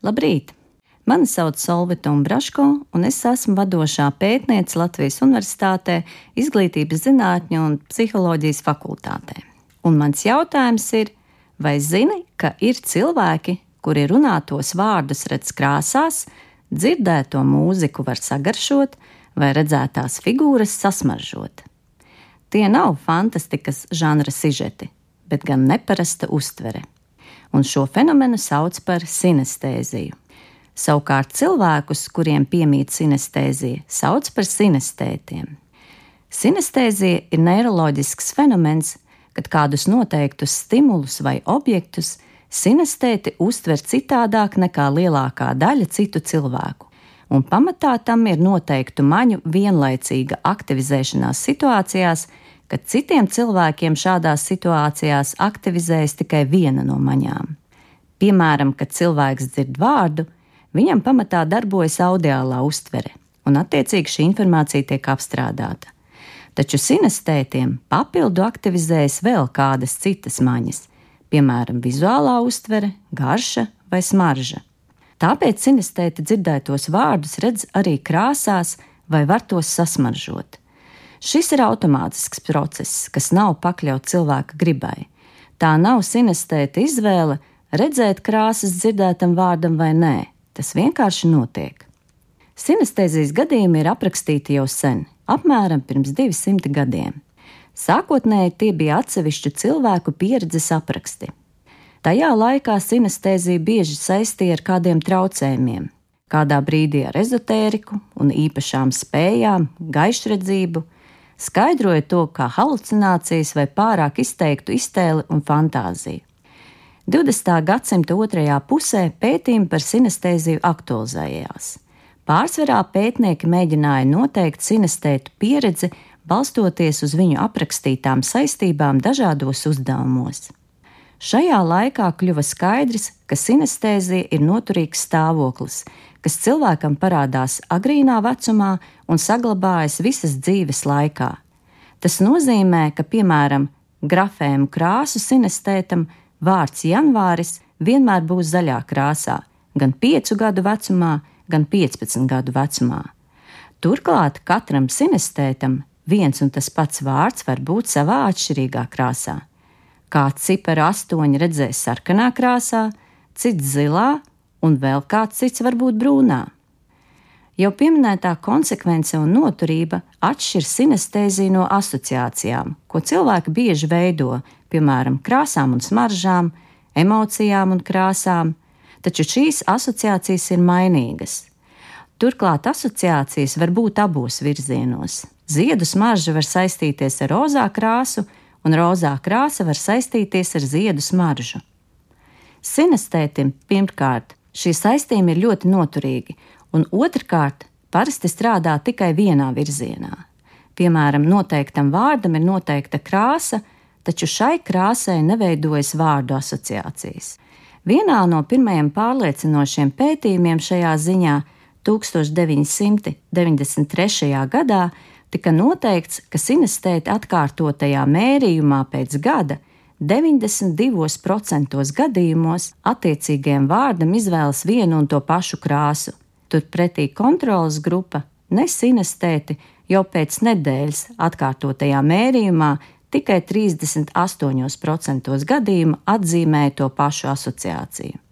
Labrīt! Mani sauc Solvita Umbraško, un es esmu vadošā pētniece Latvijas Universitātē, Izglītības zinātņu un psiholoģijas fakultātē. Un mans jautājums ir, vai zini, ka ir cilvēki, kuri runātos vārdus redz krāsās, dzirdēto mūziku var sagaršot vai redzētās figūras sasmaržot? Tie nav fantastikas žanra sižeti, bet gan neparasta uztvere. Un šo fenomenu sauc par sinestēziju. Savukārt cilvēkus, kuriem piemīt sinestēzija, sauc par sinestētiem. Sinestēzija ir neiroloģisks fenomens, kad kādus noteiktus stimulus vai objektus sinestēti uztver citādāk nekā lielākā daļa citu cilvēku, un pamatā tam ir noteiktu maņu vienlaicīga aktivizēšanās situācijās, kad citiem cilvēkiem šādās situācijās aktivizējas tikai viena no maņām. Piemēram, kad cilvēks dzird vārdu, viņam pamatā darbojas audiālā uztvere, un attiecīgi šī informācija tiek apstrādāta. Taču sinestētiem papildu aktivizējas vēl kādas citas maņas, piemēram, vizuālā uztvere, garša vai smarža. Tāpēc sinestēti dzirdētos vārdus redz arī krāsās vai var tos sasmaržot. Šis ir automātisks process, kas nav pakļauts cilvēka gribai. Tā nav sinestēta izvēle redzēt krāsas dzirdētam vārdam vai nē. Tas vienkārši notiek. Sinestēzijas gadījumi ir aprakstīti jau sen, apmēram pirms 200 gadiem. Sākotnēji tie bija atsevišķu cilvēku pieredzes apraksti. Tajā laikā sinestēzija bieži saistīja ar kādiem traucējumiem, kādā brīdī ar ezotēriku un īpašām spējām, gaišredzību, skaidroja to kā halucinācijas vai pārāk izteiktu iztēli un fantāziju. 20. gadsimta otrajā pusē pētījumi par sinestēziju aktualizējās. Pārsvarā pētnieki mēģināja noteikt sinestētu pieredzi, balstoties uz viņu aprakstītām saistībām dažādos uzdevumos. Šajā laikā kļuva skaidrs, ka sinestēzija ir noturīgs stāvoklis, kas cilvēkam parādās agrīnā vecumā un saglabājas visas dzīves laikā. Tas nozīmē, ka, piemēram, grafēmu krāsu sinestētam vārds janvāris vienmēr būs zaļā krāsā, gan 5 gadu vecumā, gan 15 gadu vecumā. Turklāt katram sinestētam viens un tas pats vārds var būt savā atšķirīgā krāsā. Kāds ciparu 8 redzēs sarkanā krāsā, cits zilā, un vēl kāds cits varbūt brūnā. Jau pieminētā konsekvence un noturība atšķir sinestēziju no asociācijām, ko cilvēki bieži veido, piemēram, krāsām un smaržām, emocijām un krāsām, taču šīs asociācijas ir mainīgas. Turklāt asociācijas var būt abos virzienos. Ziedu smarža var saistīties ar rozā krāsu, un rozā krāsa var saistīties ar ziedu smaržu. Sinestētim pirmkārt šī saistība ir ļoti noturīga, un otrkārt parasti strādā tikai vienā virzienā. Piemēram, noteiktam vārdam ir noteikta krāsa, taču šai krāsai neveidojas vārdu asociācijas. Vienā no pirmajiem pārliecinošiem pētījumiem šajā ziņā 1993. gadā tika noteikts, ka sinestēti atkārtotajā mērījumā pēc gada 92% gadījumos attiecīgajam vārdam izvēlas vienu un to pašu krāsu. Turpretī kontroles grupa nesinestēti jau pēc nedēļas atkārtotajā mērījumā tikai 38% gadījumu atzīmēja to pašu asociāciju.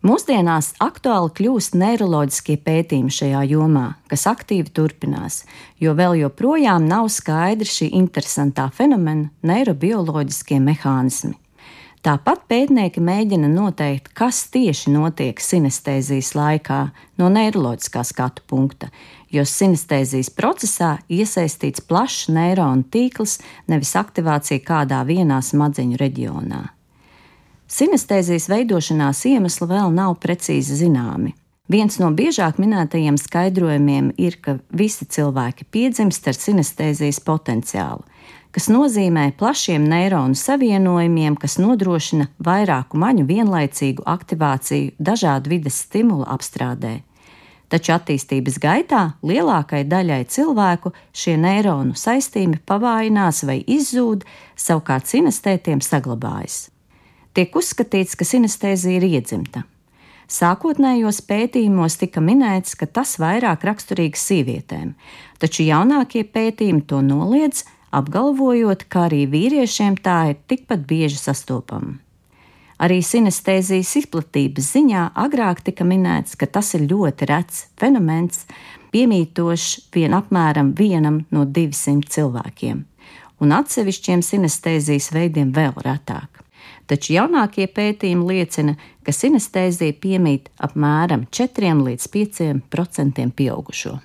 Mūsdienās aktuāli kļūst neiroloģiskie pētījumi šajā jomā, kas aktīvi turpinās, jo vēl joprojām nav skaidri šī interesantā fenomena neirobioloģiskie mehānismi. Tāpat pētnieki mēģina noteikt, kas tieši notiek sinestēzijas laikā no neiroloģiskā skatu punkta, jo sinestēzijas procesā iesaistīts plašs neironu tīkls, nevis aktivācija kādā vienā smadzeņu reģionā. Sinestēzijas veidošanās iemesli vēl nav precīzi zināmi. Viens no biežāk minētajiem skaidrojumiem ir, ka visi cilvēki piedzimst ar sinestēzijas potenciālu, kas nozīmē plašiem neironu savienojumiem, kas nodrošina vairāku maņu vienlaicīgu aktivāciju dažādu vides stimulu apstrādē. Taču attīstības gaitā lielākai daļai cilvēku šie neironu saistīmi pavājinās vai izzūd, savukārt sinestētiem saglabājas. Tiek uzskatīts, ka sinestēzija ir iedzimta. Sākotnējos pētījumos tika minēts, ka tas vairāk raksturīgs sievietēm, taču jaunākie pētījumi to noliedz, apgalvojot, ka arī vīriešiem tā ir tikpat bieži sastopama. Arī sinestēzijas izplatības ziņā agrāk tika minēts, ka tas ir ļoti rets fenomens, piemītošs vien apmēram 1 no 200 cilvēkiem, un atsevišķiem sinestēzijas veidiem vēl retāk. Taču jaunākie pētījumi liecina, ka sinestēzija piemīt apmēram 4 līdz 5% pieaugušo.